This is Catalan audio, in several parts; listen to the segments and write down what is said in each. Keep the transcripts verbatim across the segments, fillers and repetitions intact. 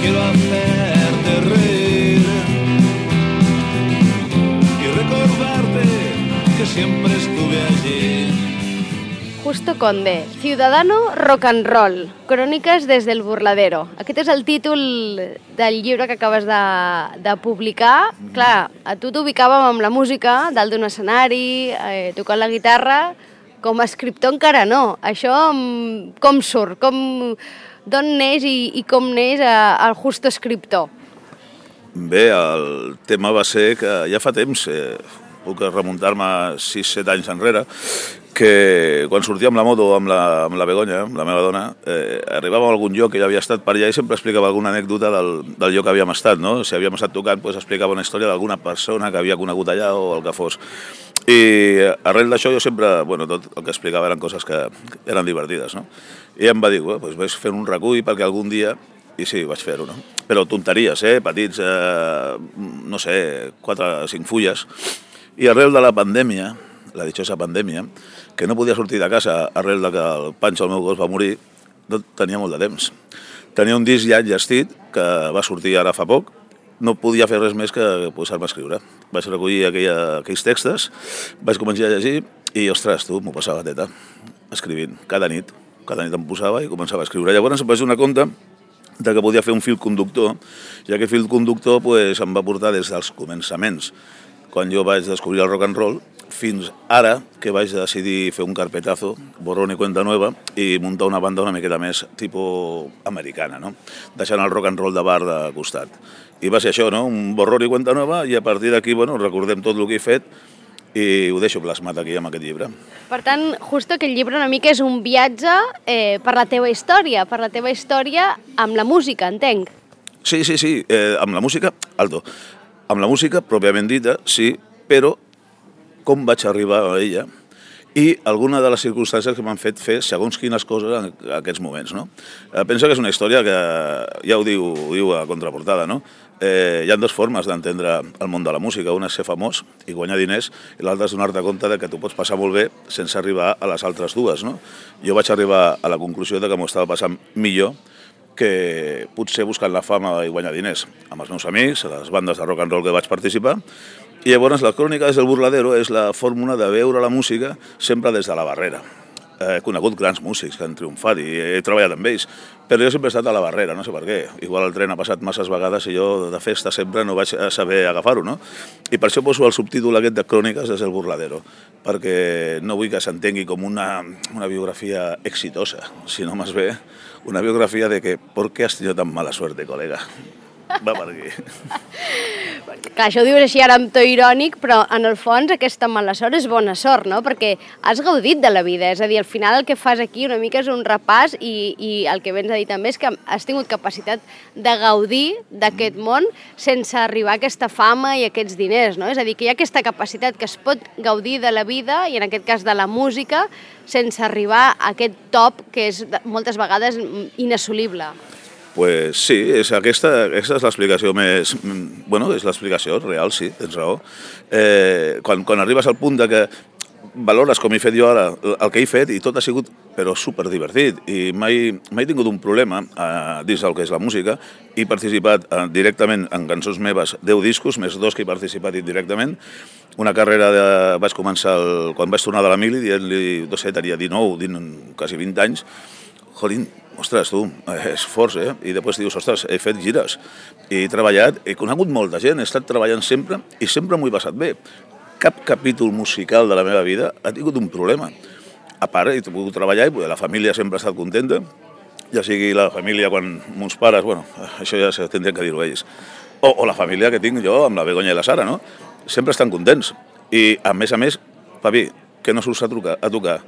quiero hacerte reír y recordarte que siempre estuve allí. Justo Conde, Ciudadano Rock and Roll, Cròniques des del Burladero. Aquest és el títol del llibre que acabes de, de publicar. Mm. Clar, a tu t'ubicàvem amb la música, dalt d'un escenari, eh, tocant la guitarra. Com a escriptor encara no. Això com surt? Com, d'on neix i, i com neix el Justo escriptor? Bé, el tema va ser que ja fa temps, eh, puc remuntar-me sis set anys enrere, que quan sortia amb la moto amb la, amb la Begoña, amb la meva dona, eh, arribàvem a algun lloc que ja havia estat per allà i sempre explicava alguna anècdota del, del lloc que havíem estat, no? Si havíem estat tocant, doncs explicava una història d'alguna persona que havia conegut allà o el que fos. I arrel d'això jo sempre, bueno, tot el que explicava eren coses que eren divertides, no? I em va dir, bueno, doncs vaig fer un recull perquè algun dia, i sí, vaig fer-ho, no? Però tonteries, eh? Petits, eh, no sé, quatre o cinc fulles. I arrel de la pandèmia, la dichosa pandèmia, que no podia sortir de casa arrel de que el Pancho, el meu gos, va morir, no tenia molt de temps. Tenia un disc ja enllestit, que va sortir ara fa poc, no podia fer res més que posar-me a escriure. Vaig recollir aquella, aquells textos, vaig començar a llegir i, ostres, tu, m'ho passava teta, escrivint, cada nit. Cada nit em posava i començava a escriure. Llavors em vaig donar compte de que podia fer un fil conductor, i aquest fil conductor pues, em va portar des dels començaments, quan jo vaig descobrir el rock and roll, fins ara que vaig decidir fer un carpetazo, borrón i cuenta nueva, i muntar una banda una miqueta més tipus americana, no? Deixant el rock and roll de bar de costat. I va ser això, no? Un borrón i cuenta nueva, i a partir d'aquí, bueno, recordem tot el que he fet i ho deixo plasmat aquí amb aquest llibre. Per tant, justo aquest llibre una mica és un viatge eh, per la teva història, per la teva història amb la música, entenc. Sí, sí, sí, eh, amb la música, alto, amb la música pròpiament dita, sí, però com vaig arribar a ella i alguna de les circumstàncies que m'han fet fer segons quines coses en aquests moments, no? Eh, penso que és una història que ja ho diu, ho diu a contraportada, no? Eh, hi ha dues formes d'entendre el món de la música. Una és ser famós i guanyar diners, i l'altra és donar-te compte de que t'ho pots passar molt bé sense arribar a les altres dues, no? Jo vaig arribar a la conclusió de que m'ho estava passant millor que potser buscant la fama i guanyar diners amb els meus amics, a les bandes de rock and roll que vaig participar. I llavors la crònica des del Burladero és la fórmula de veure la música sempre des de la barrera. He conegut grans músics que han triomfat i he treballat amb ells, però jo sempre he estat a la barrera, no sé per què. Igual el tren ha passat masses vegades i jo de festa sempre no vaig saber agafar-ho, no? I per això poso el subtítol aquest de Cròniques des del Burladero, perquè no vull que s'entengui com una, una biografia exitosa, sinó més bé una biografia de que ¿por qué has tenido tan mala suerte, colega? Va per aquí. Clar, això ho dius així ara amb to irònic, però en el fons aquesta mala sort és bona sort, no? Perquè has gaudit de la vida, és a dir, al final el que fas aquí una mica és un repàs i, i el que vens a dir també és que has tingut capacitat de gaudir d'aquest món sense arribar a aquesta fama i aquests diners, no? És a dir, que hi ha aquesta capacitat que es pot gaudir de la vida i en aquest cas de la música sense arribar a aquest top que és moltes vegades inassolible. Pues sí, és aquesta, aquesta és l'explicació més... Bueno, és l'explicació real, sí, tens raó. Eh, quan, quan arribes al punt de que valores, com he fet jo ara, el que he fet, i tot ha sigut, però superdivertit, i mai, mai he tingut un problema eh, dins del que és la música. He participat eh, directament en cançons meves, deu discos, més dos que he participat indirectament. Una carrera de... vaig començar el, quan vaig tornar de la mili, dient-li, no sé, tenia dinou, quasi vint anys. Jolín, ostres, tu, és fort, eh? I després dius, ostres, he fet gires, he treballat, he conegut molta gent, he estat treballant sempre i sempre m'ho he passat bé. Cap capítol musical de la meva vida ha tingut un problema. A part, he pogut treballar i la família sempre ha estat contenta, ja sigui la família quan mons pares, bueno, això ja tindrien que dir-ho ells, o, o la família que tinc jo amb la Begoña i la Sara, no? Sempre estan contents. I, a més a més, papi, que no surts a, trucar, a tocar?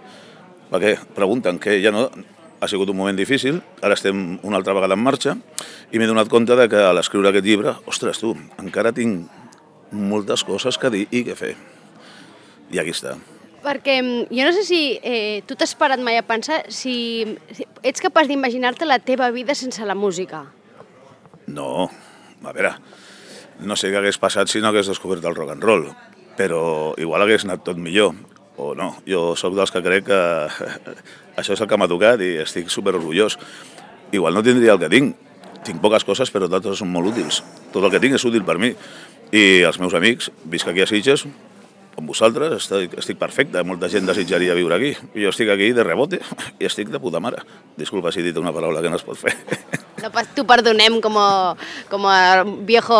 Perquè pregunten que ja no... Ha sigut un moment difícil, ara estem una altra vegada en marxa i m'he donat compte de que a l'escriure aquest llibre, ostres, tu, encara tinc moltes coses que dir i que fer. I aquí està. Perquè jo no sé si eh, tu t'has parat mai a pensar si, si ets capaç d'imaginar-te la teva vida sense la música. No, a veure, no sé què hagués passat si no hagués descobert el rock and roll, però igual hagués anat tot millor. O no, jo sóc dels que crec que això és el que m'ha tocat i estic superorgullós. Igual no tindria el que tinc, tinc poques coses, però totes són molt útils. Tot el que tinc és útil per mi. I els meus amics, visc aquí a Sitges, amb vosaltres, estic, estic perfecte. Molta gent desitjaria viure aquí. I jo estic aquí de rebote i estic de puta mare. Disculpa si he dit una paraula que no es pot fer. No, t'ho perdonem com a, com a viejo...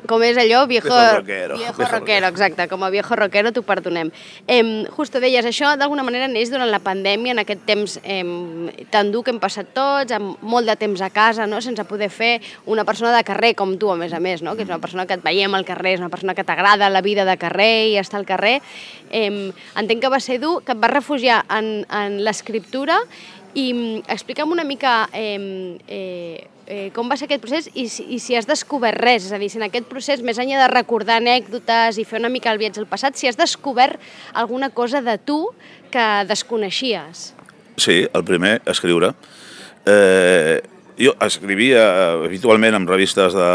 Com és allò? Viejo, viejo rockero. Viejo, viejo rockero, exacte. Com a viejo rockero t'ho perdonem. Eh, justo deies, això d'alguna manera neix durant la pandèmia, en aquest temps eh, tan dur que hem passat tots, amb molt de temps a casa, no? Sense poder fer una persona de carrer com tu, a més a més, no? Que és una persona que et veiem al carrer, és una persona que t'agrada la vida de carrer i estar al carrer. Eh, entenc que va ser dur, que et vas refugiar en, en l'escriptura. I explica'm una mica eh, eh, eh, com va ser aquest procés i si, i si has descobert res, és a dir, si en aquest procés, més enllà de recordar anècdotes i fer una mica el viatge al passat, si has descobert alguna cosa de tu que desconeixies. Sí, el primer, escriure. Eh, jo escrivia habitualment en revistes de,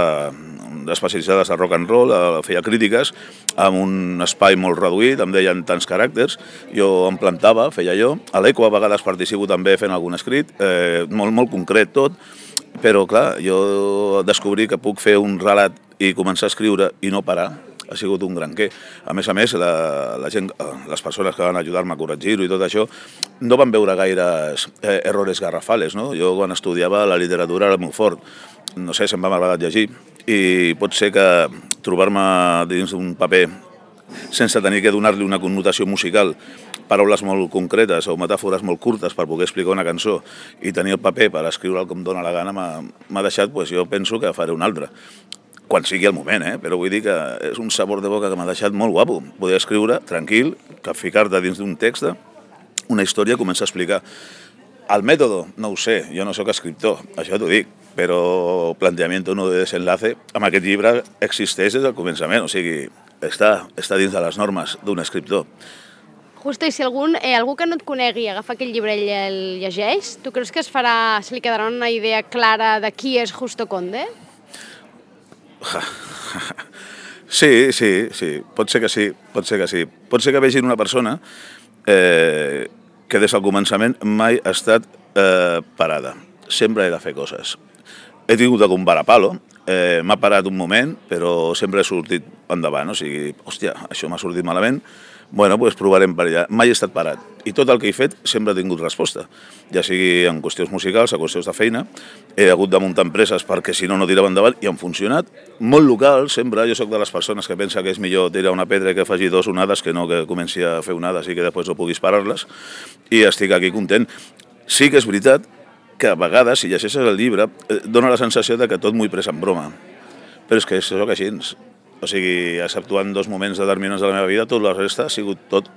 especialitzades de rock and roll, feia crítiques, amb un espai molt reduït, em deien tants caràcters, jo em plantava, feia jo, a l'Eco a vegades participo també fent algun escrit, eh, molt, molt concret tot, però clar, jo descobrí que puc fer un relat i començar a escriure i no parar, ha sigut un gran què. A més a més, la, la gent, les persones que van ajudar-me a corregir-ho i tot això, no van veure gaires eh, errores garrafales, no? Jo quan estudiava la literatura era molt fort, no sé, se'm va m'agradat llegir, i pot ser que trobar-me dins d'un paper sense tenir que donar-li una connotació musical, paraules molt concretes o metàfores molt curtes per poder explicar una cançó i tenir el paper per escriure'l com dóna la gana m'ha deixat, doncs jo penso que faré un altre. Quan sigui el moment, eh? Però vull dir que és un sabor de boca que m'ha deixat molt guapo. Poder escriure tranquil, que ficar-te dins d'un text, una història, començar a explicar. El mètode, no ho sé, jo no sóc escriptor, això t'ho dic, però Planteamiento no de desenlace, amb aquest llibre existeix des del començament, o sigui, està, està dins de les normes d'un escriptor. Justo, i si algun, eh, algú que no et conegui agafa aquest llibre i el llegeix, tu creus que es farà, se li quedarà una idea clara de qui és Justo Conde? Sí, sí, sí, pot ser que sí, pot ser que sí. Pot ser que vegin una persona eh, que des del començament mai ha estat eh, parada. Sempre he de fer coses. He tingut algun varapalo, eh, m'ha parat un moment, però sempre he sortit endavant. O sigui, hòstia, això m'ha sortit malament, bueno, doncs provarem per allà. Mai he estat parat. I tot el que he fet sempre ha tingut resposta. Ja sigui en qüestions musicals, en qüestions de feina. He hagut de muntar empreses perquè si no, no tirava endavant i han funcionat. Molt local, sempre. Jo sóc de les persones que pensa que és millor tirar una pedra i que faci dos onades que no que comenci a fer onades i que després no puguis parar-les. I estic aquí content. Sí que és veritat que a vegades, si llegeixes el llibre, dona la sensació de que tot m'ho he pres en broma. Però és que sóc així. O sigui, exceptuant dos moments determinants de la meva vida, tot la resta ha sigut tot,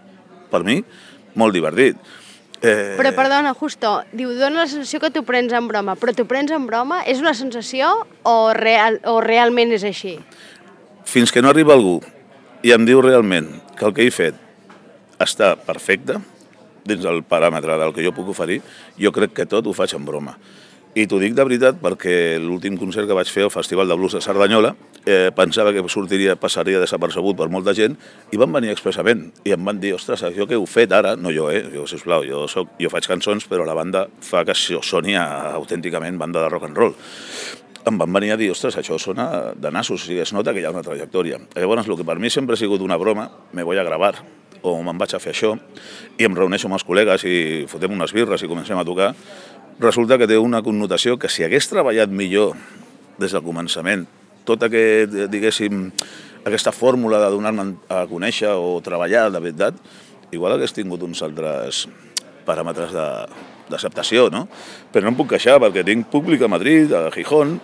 per mi, molt divertit. Eh... Però, perdona, Justo, diu, dona la sensació que t'ho prens en broma, però t'ho prens en broma? És una sensació o, real, o realment és així? Fins que no arriba algú i em diu realment que el que he fet està perfecte, dins del paràmetre del que jo puc oferir, jo crec que tot ho faig en broma. I t'ho dic de veritat perquè l'últim concert que vaig fer al Festival de Blues de Cerdanyola eh, pensava que sortiria, passaria desapercebut per molta gent i van venir expressament i em van dir, ostres, això que heu fet ara, no jo, eh, jo, sisplau, jo, soc, jo faig cançons però la banda fa que soni autènticament banda de rock and roll. Em van venir a dir, ostres, això sona de nassos, o sigui, es nota que hi ha una trajectòria. Llavors, el que per mi sempre ha sigut una broma, me voy a gravar, o me'n vaig a fer això, i em reuneixo amb els col·legues i fotem unes birres i comencem a tocar, resulta que té una connotació que si hagués treballat millor des del començament, tota aquest, diguéssim, aquesta fórmula de donar-me a conèixer o treballar de veritat, igual hagués tingut uns altres paràmetres d'acceptació, no? Però no em puc queixar perquè tinc públic a Madrid, a Gijón,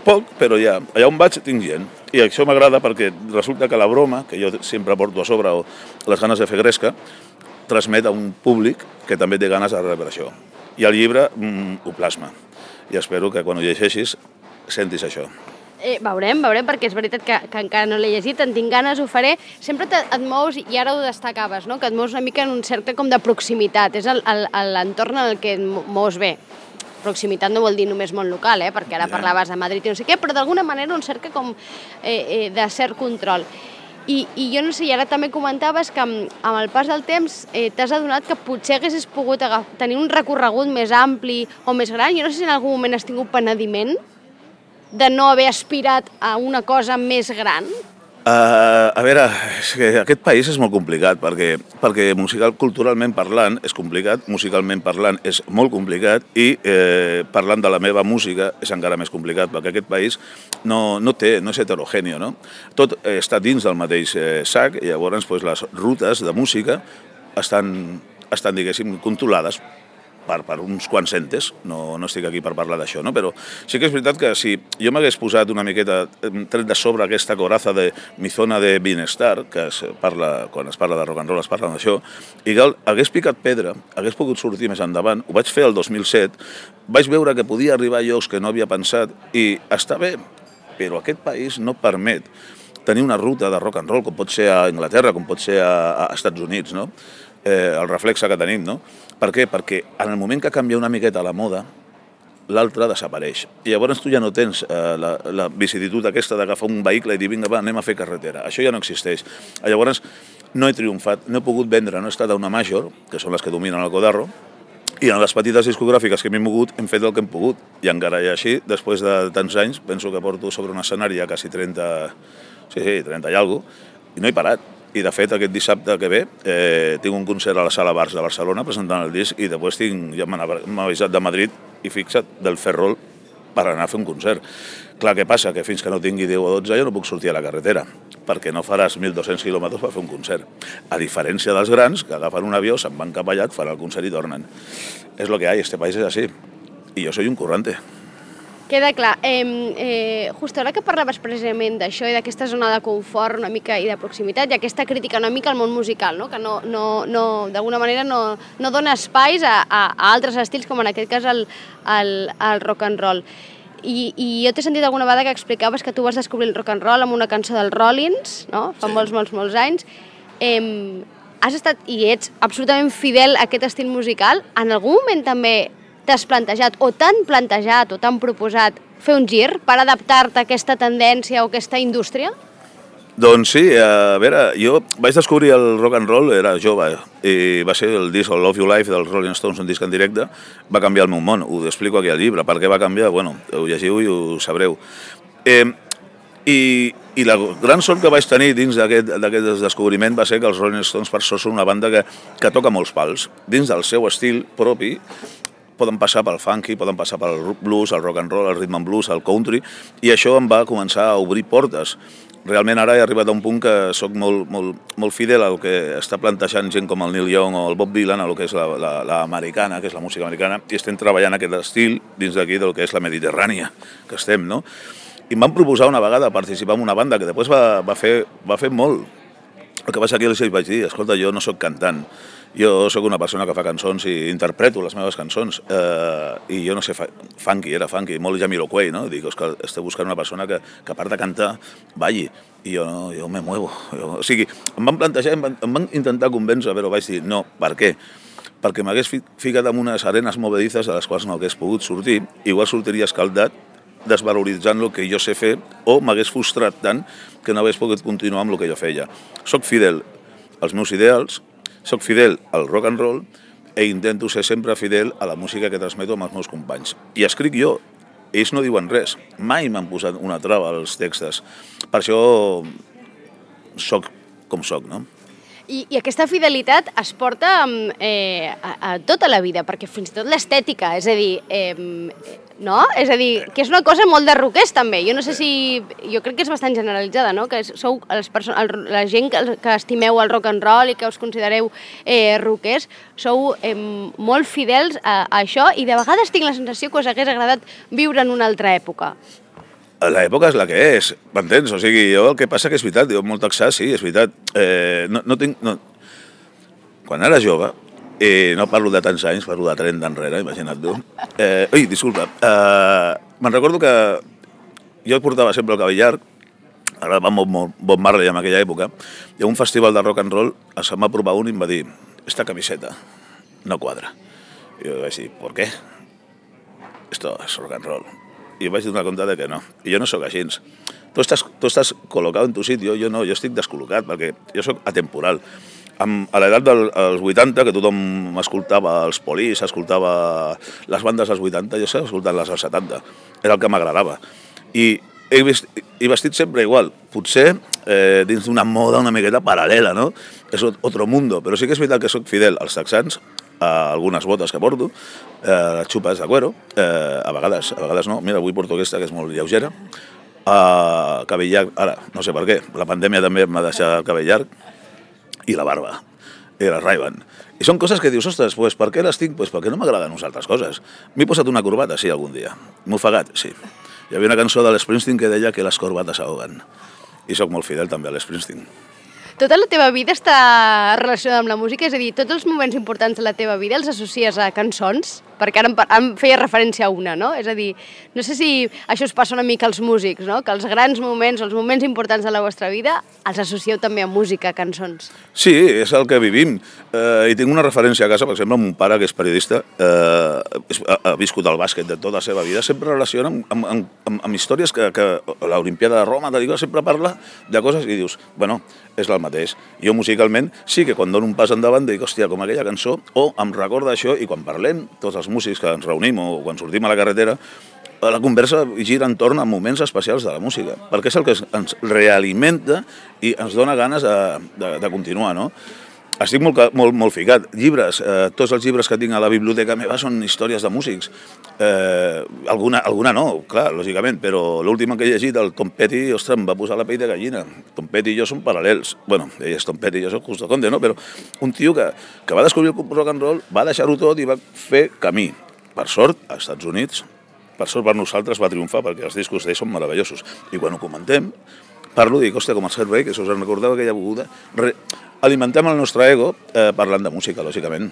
poc, però ja, allà on vaig tinc gent. I això m'agrada perquè resulta que la broma, que jo sempre porto a sobre, o les ganes de fer gresca, transmet a un públic que també té ganes de rebre això. I el llibre mm, ho plasma. I espero que quan ho llegeixis sentis això. Eh, veurem, veurem, perquè és veritat que, que encara no l'he llegit, en tinc ganes, ho faré. Sempre te, et mous, i ara ho destacaves, no? Que et mous una mica en un cercle com de proximitat. És l'entorn en el que et mous bé. Proximitat no vol dir només món local, eh? Perquè ara ja parlaves de Madrid i no sé què, però d'alguna manera un cercle com eh, eh, de cert control. I, I jo no sé, i ara també comentaves que amb, amb el pas del temps eh, t'has adonat que potser haguessis pogut agaf, tenir un recorregut més ampli o més gran. Jo no sé si en algun moment has tingut penediment. de no haver aspirat a una cosa més gran? Uh, a veure, és que aquest país és molt complicat, perquè, perquè musical, culturalment parlant és complicat, musicalment parlant és molt complicat i eh, parlant de la meva música és encara més complicat, perquè aquest país no, no té, no és heterogèneo, no? Tot eh, està dins del mateix eh, sac i llavors pues, les rutes de música estan, estan diguéssim, controlades Per, per uns quants entes, no, no estic aquí per parlar d'això, no? Però sí que és veritat que si jo m'hagués posat una miqueta, tret de sobre aquesta coraza de mi zona de bienestar, que es parla, quan es parla de rock and roll es parla d'això, i que hagués picat pedra, hagués pogut sortir més endavant, ho vaig fer el dos mil set, vaig veure que podia arribar a llocs que no havia pensat i està bé, però aquest país no permet tenir una ruta de rock and roll com pot ser a Anglaterra, com pot ser a, a Estats Units, no? Eh, el reflexe que tenim, no? Per què? Perquè en el moment que canvia una miqueta la moda, l'altre desapareix. I llavors tu ja no tens eh, la, la vicisitud aquesta d'agafar un vehicle i dir vinga, va, anem a fer carretera. Això ja no existeix. Llavors no he triomfat, no he pogut vendre, no he estat a una major, que són les que dominen el codarro, i en les petites discogràfiques que m'he mogut hem fet el que hem pogut. I encara i així, després de tants anys, penso que porto sobre un escenari ja quasi trenta, sí, sí, trenta i alguna cosa, i no he parat. I, de fet, aquest dissabte que ve eh, tinc un concert a la Sala Bars de Barcelona presentant el disc i després tinc, ja m'ha avisat de Madrid i fixa't, del Ferrol per anar a fer un concert. Clar, què passa? Que fins que no tingui deu o dotze jo no puc sortir a la carretera, perquè no faràs mil dos-cents quilòmetres per fer un concert. A diferència dels grans, que agafen un avió, se'n van cap allà, fan el concert i tornen. És lo que hi ha, este país és així. I jo soy un currante. Queda clar. Eh, eh, just ara que parlaves precisament d'això i d'aquesta zona de confort una mica i de proximitat i aquesta crítica una mica al món musical, no? Que no, no, no, d'alguna manera no, no dona espais a, a, a altres estils, com en aquest cas el, el, el rock and roll. I, i jo t'he sentit alguna vegada que explicaves que tu vas descobrir el rock and roll amb una cançó dels Rollins, no? Fa sí. molts, molts, molts anys. Eh, has estat, i ets absolutament fidel a aquest estil musical. En algun moment també t'has plantejat, o t'han plantejat, o t'han proposat fer un gir per adaptar-te a aquesta tendència o aquesta indústria? Doncs sí, a veure, jo vaig descobrir el rock and roll, era jove, i va ser el disc, el Love You Life dels Rolling Stones, un disc en directe, va canviar el meu món, ho explico aquí al llibre, per què va canviar, bueno, ho llegiu i ho sabreu. Eh, i, I la gran sort que vaig tenir dins d'aquest descobriment va ser que els Rolling Stones per sort són una banda que, que toca molts pals, dins del seu estil propi. Poden passar pel funky, poden passar pel blues, el rock and roll, el rhythm and blues, el country, i això em va començar a obrir portes. Realment ara he arribat a un punt que sóc molt, molt, molt fidel al que està plantejant gent com el Neil Young o el Bob Dylan, a lo que és l'americana, que és la música americana, i estem treballant aquest estil dins d'aquí del que és la Mediterrània, que estem, no? I em van proposar una vegada participar en una banda que després va, va, fer, va fer molt. El que passa aquí els vaig dir, escolta, jo no sóc cantant, jo sóc una persona que fa cançons i interpreto les meves cançons, eh, i jo no sé, funky, era funky, molt Jamiroquai, no? Dic, que esteu buscant una persona que, que a part de cantar, balli, i jo, no, jo me muevo. Jo, o sigui, em van plantejar, em van, em van intentar convèncer, però vaig dir, no, per què? Perquè m'hagués ficat en unes arenes movedizes a les quals no hagués pogut sortir, igual sortiria escaldat, desvaloritzant el que jo sé fer, o m'hagués frustrat tant que no hagués pogut continuar amb el que jo feia. Soc fidel als meus ideals, soc fidel al rock and roll i intento ser sempre fidel a la música que transmeto amb els meus companys. I escric jo, ells no diuen res, mai m'han posat una trava als textos. Per això soc com soc, no? I, I aquesta fidelitat es porta eh, a, a tota la vida, perquè fins i tot l'estètica, és a dir, eh, no? És a dir, que és una cosa molt de rockers també. Jo no sé si... Jo crec que és bastant generalitzada, no? Que sou les persones, el, la gent que, que estimeu el rock and roll i que us considereu eh, rockers, sou eh, molt fidels a, a això i de vegades tinc la sensació que us hagués agradat viure en una altra època. L'època és la que és, m'entens? O sigui, jo el que passa que és veritat, jo molt texà, sí, és veritat. Eh, no, no tinc... No. Quan era jove, i no parlo de tants anys, parlo de trenta enrere, imagina't tu. Eh, ui, disculpa. Eh, me'n recordo que jo portava sempre el cabell llarg, ara va molt Bob Marley en aquella època, i a un festival de rock and roll se'm va provar un i em va dir, esta camiseta no quadra. I jo vaig dir, ¿por qué? Esto es rock and roll. I vaig donar compte de que no. I jo no sóc així. Tu estàs, tu estàs col·locat en tu sitio, jo no, jo estic descol·locat, perquè jo sóc atemporal. Amb, a l'edat dels vuitanta, que tothom escoltava els Police, escoltava les bandes dels vuitanta, jo estava escoltant les dels setanta. Era el que m'agradava. I he, vist, he vestit sempre igual, potser eh, dins d'una moda una miqueta paral·lela, no? És otro mundo, però sí que és veritat que soc fidel als texans, a algunes botes que porto, eh, les xupes de cuero, eh, a vegades, a vegades no, mira, avui porto aquesta que és molt lleugera, a cabell llarg, ara, no sé per què, la pandèmia també m'ha deixat el cabell llarg, i la barba, i la Ray-Ban. I són coses que dius, ostres, pues, per què les tinc? Pues perquè no m'agraden unes altres coses. M'he posat una corbata, sí, algun dia. M'he ofegat, sí. Hi havia una cançó de l'Springsteen que deia que les corbates ahoguen. I sóc molt fidel també a l'Springsteen. Tota la teva vida està relacionada amb la música? És a dir, tots els moments importants de la teva vida els associes a cançons? Perquè ara em, em feia referència a una, no? És a dir, no sé si això us passa una mica als músics, no? Que els grans moments, els moments importants de la vostra vida, els associeu també a música, a cançons. Sí, és el que vivim. Eh, I tinc una referència a casa, per exemple, mon pare, que és periodista, eh, ha, ha viscut el bàsquet de tota la seva vida, sempre relaciona amb, amb, amb, amb històries que, que l'Olimpiada de Roma, sempre parla de coses i dius, bueno, és el mateix. Jo musicalment sí que quan dono un pas endavant dic, hòstia, com aquella cançó, o em recorda això, i quan parlem, tots els músics que ens reunim o quan sortim a la carretera, la conversa gira entorn a moments especials de la música, perquè és el que ens realimenta i ens dona ganes de, de, de continuar, no? Estic molt, molt, molt ficat. Llibres, eh, tots els llibres que tinc a la biblioteca meva són històries de músics. Eh, alguna, alguna no, clar, lògicament, però l'última que he llegit, el Tom Petty, ostres, em va posar la pell de gallina. Tom Petty i jo som paral·lels. Bueno, ell és Tom Petty i jo soc Justo Conde, no? Però un tio que, que va descobrir el rock and roll, va deixar-ho tot i va fer camí. Per sort, als Estats Units, per sort per nosaltres va triomfar, perquè els discos d'ell són meravellosos. I quan ho comentem, parlo i dic, hòstia, com el Servei, que si us en recordeu aquella beguda, re... alimentem el nostre ego eh, parlant de música, lògicament.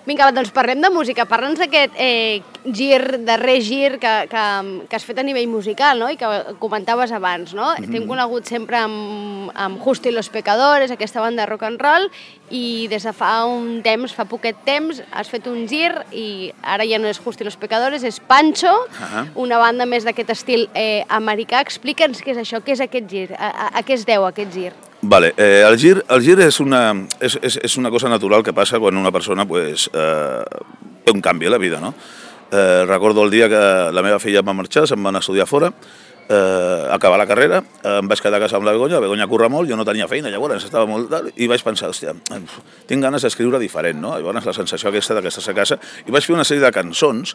Vinga, doncs parlem de música. Parla'ns d'aquest eh, gir, darrer gir que, que, que has fet a nivell musical, no? I que comentaves abans, no? Mm-hmm. T'hem conegut sempre amb, amb Justo y los Pecadores, aquesta banda de rock and roll, i des de fa un temps, fa poquet temps, has fet un gir i ara ja no és Justo y los Pecadores, és Pancho, uh-huh. Una banda més d'aquest estil eh, americà. Explica'ns què és això, què és aquest gir, a, a, a què es deu aquest gir? Vale, eh, el gir, el gir és, una, és, és, és una cosa natural que passa quan una persona pues, eh, té un canvi a la vida, no? Eh, recordo el dia que la meva filla va marxar, se'n van estudiar fora, eh, acabar la carrera, eh, em vaig quedar a casa amb la Begoña, la Begoña curra molt, jo no tenia feina, llavors estava molt tal, i vaig pensar, hòstia, tinc ganes d'escriure diferent, no? Llavors la sensació aquesta de que estàs a casa, i vaig fer una sèrie de cançons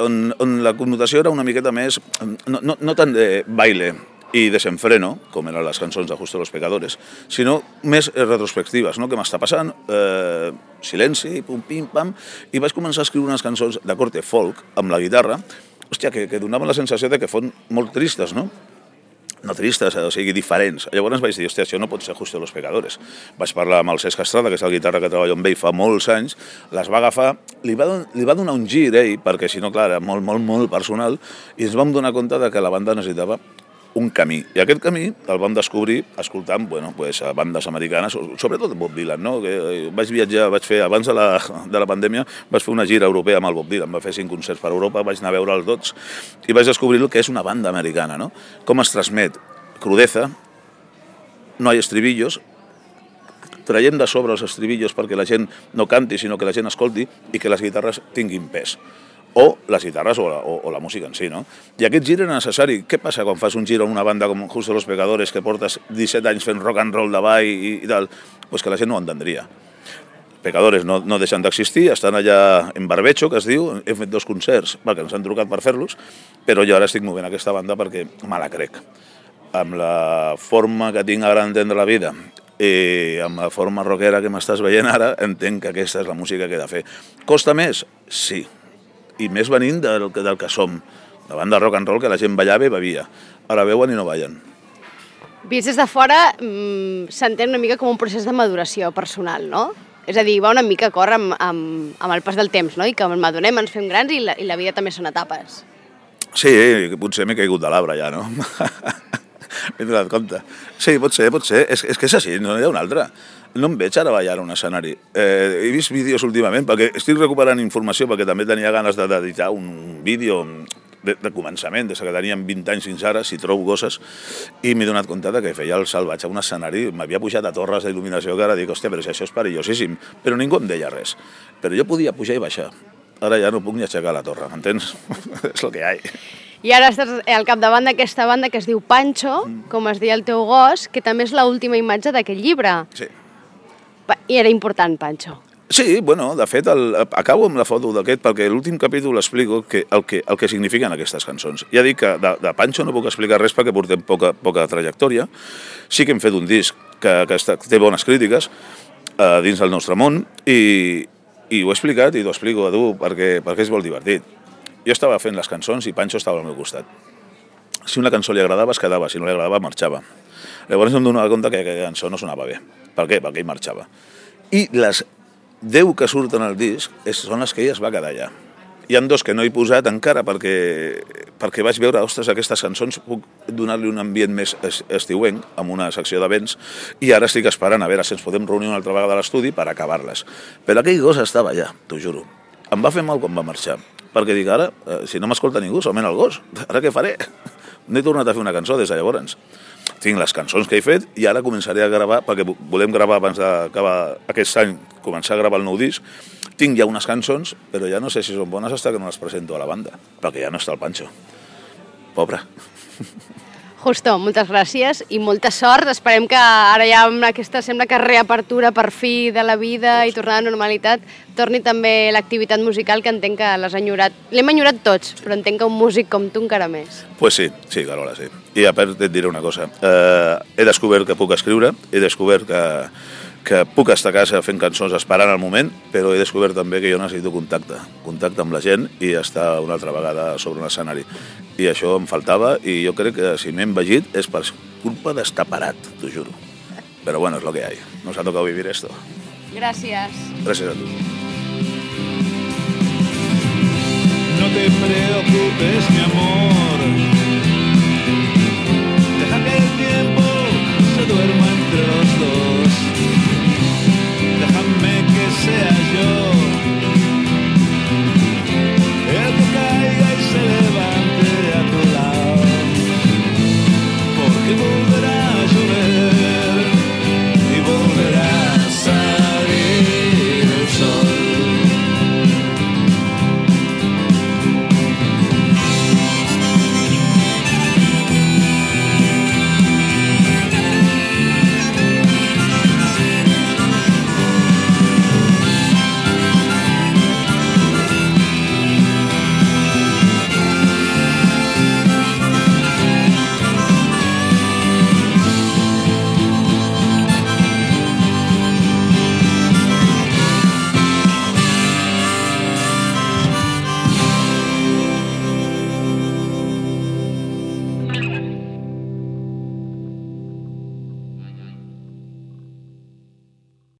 on, on la connotació era una miqueta més, no, no, no tant de baile, i desenfreno, com eren les cançons de Justo los Pecadores, sinó més retrospectives, no? Què m'està passant, eh, silenci, pum, pim, pam, i vaig començar a escriure unes cançons de corte folk, amb la guitarra, hòstia, que, que donaven la sensació de que fos molt tristes, no? No tristes, o sigui, diferents. Llavors vaig dir, hòstia, això no pot ser Justo los Pecadores. Vaig parlar amb el Cesc Estrada, que és el guitarra que treballo amb ell fa molts anys, les va agafar, li va, li va donar un gir, ell, perquè si no, clar, era molt, molt, molt personal, i ens vam donar compte de que la banda necessitava un camí. I aquest camí el vam descobrir escoltant, bueno, pues, a bandes americanes, sobretot Bob Dylan, no? Que vaig viatjar, vaig fer, abans de la, de la pandèmia, vaig fer una gira europea amb el Bob Dylan, va fer cinc concerts per Europa, vaig anar a veure els tots i vaig descobrir el que és una banda americana, no? Com es transmet crudeza, no hi ha estribillos, traiem de sobre els estribillos perquè la gent no canti, sinó que la gent escolti i que les guitarres tinguin pes. O les guitarres o la, o, o la música en si, no? I aquest gir era necessari. Què passa quan fas un gir en una banda com Justo los Pecadores, que portes disset anys fent rock and roll de ball i, i tal? Pues que la gent no ho entendria. Pecadores no, no deixen d'existir, estan allà en barbecho, que es diu, hem fet dos concerts, perquè ens han trucat per fer-los, però jo ara estic movent aquesta banda perquè me la crec. Amb la forma que tinc ara d'entendre la vida i amb la forma rockera que m'estàs veient ara, entenc que aquesta és la música que he de fer. Costa més? Sí. I més venint del, del que som, la banda rock and roll que la gent ballava i bevia. Ara veuen i no ballen. Vist des de fora, mmm, s'entén una mica com un procés de maduració personal, no? És a dir, va una mica a córrer amb, amb, amb el pas del temps, no? I que madunem, ens fem grans i la, i la vida també són etapes. Sí, potser m'he caigut de l'arbre ja, no? M'he donat compte. Sí, pot ser, pot ser. És, és que és així, no hi ha una altra. No em veig ara ballar a un escenari. Eh, he vist vídeos últimament, perquè estic recuperant informació, perquè també tenia ganes de dedicar un vídeo de, de començament, des que teníem vint anys fins ara, si trobo coses, i m'he donat compte que feia el salvatge a un escenari, m'havia pujat a torres d'il·luminació, que ara dic, hòstia, però si això és perillosíssim, però ningú em deia res. Però jo podia pujar i baixar. Ara ja no puc ni aixecar la torre, m'entens? És el que hi ha. I ara estàs al capdavant d'aquesta banda que es diu Pancho, com es deia el teu gos, que també és l'última imatge d'aquest llibre. Sí. I era important, Pancho. Sí, bueno, de fet, el, acabo amb la foto d'aquest perquè l'últim capítol explico que el, que el que signifiquen aquestes cançons. Ja dic que de, de Pancho no puc explicar res perquè portem poca, poca trajectòria. Sí que hem fet un disc que, que està, té bones crítiques eh, dins del nostre món i, i ho he explicat i t'ho explico a tu perquè, perquè és molt divertit. Jo estava fent les cançons i Pancho estava al meu costat. Si una cançó li agradava, es quedava. Si no li agradava, marxava. Llavors em donava compte que aquella cançó no sonava bé. Per què? Perquè ell marxava. I les deu que surten al disc són les que ell es va quedar allà. Hi ha dos que no he posat encara perquè, perquè vaig veure, ostres, aquestes cançons puc donar-li un ambient més estiuenc amb una secció de vents i ara estic esperant a veure si ens podem reunir una altra vegada a l'estudi per acabar-les. Però aquell gos estava allà, t'ho juro. Em va fer mal quan va marxar, perquè dic, ara, si no m'escolta ningú, solament el gos, ara què faré? No he tornat a fer una cançó des de llavors. Tinc les cançons que he fet i ara començaré a gravar, perquè volem gravar abans d'acabar aquest any, començar a gravar el nou disc. Tinc ja unes cançons, però ja no sé si són bones fins que no les presento a la banda, perquè ja no està el Pancho. Pobre. Justo, moltes gràcies i molta sort. Esperem que ara ja amb aquesta, sembla que reapertura per fi de la vida i tornar a la normalitat, torni també l'activitat musical que entenc que l'has enyorat. L'hem enyorat tots, però entenc que un músic com tu encara més. Pues sí, sí, Carola, sí. I a part et diré una cosa. Eh, he descobert que puc escriure, he descobert que que puc estar a casa fent cançons esperant el moment, però he descobert també que jo necessito contacte, contacte amb la gent i estar una altra vegada sobre un escenari. I això em faltava i jo crec que si m'he envegit és per culpa d'estar parat, t'ho juro. Però bueno, és lo que hay. Nos ha tocado vivir esto. Gràcies. Gràcies a tu. No te preocupes, mi amor.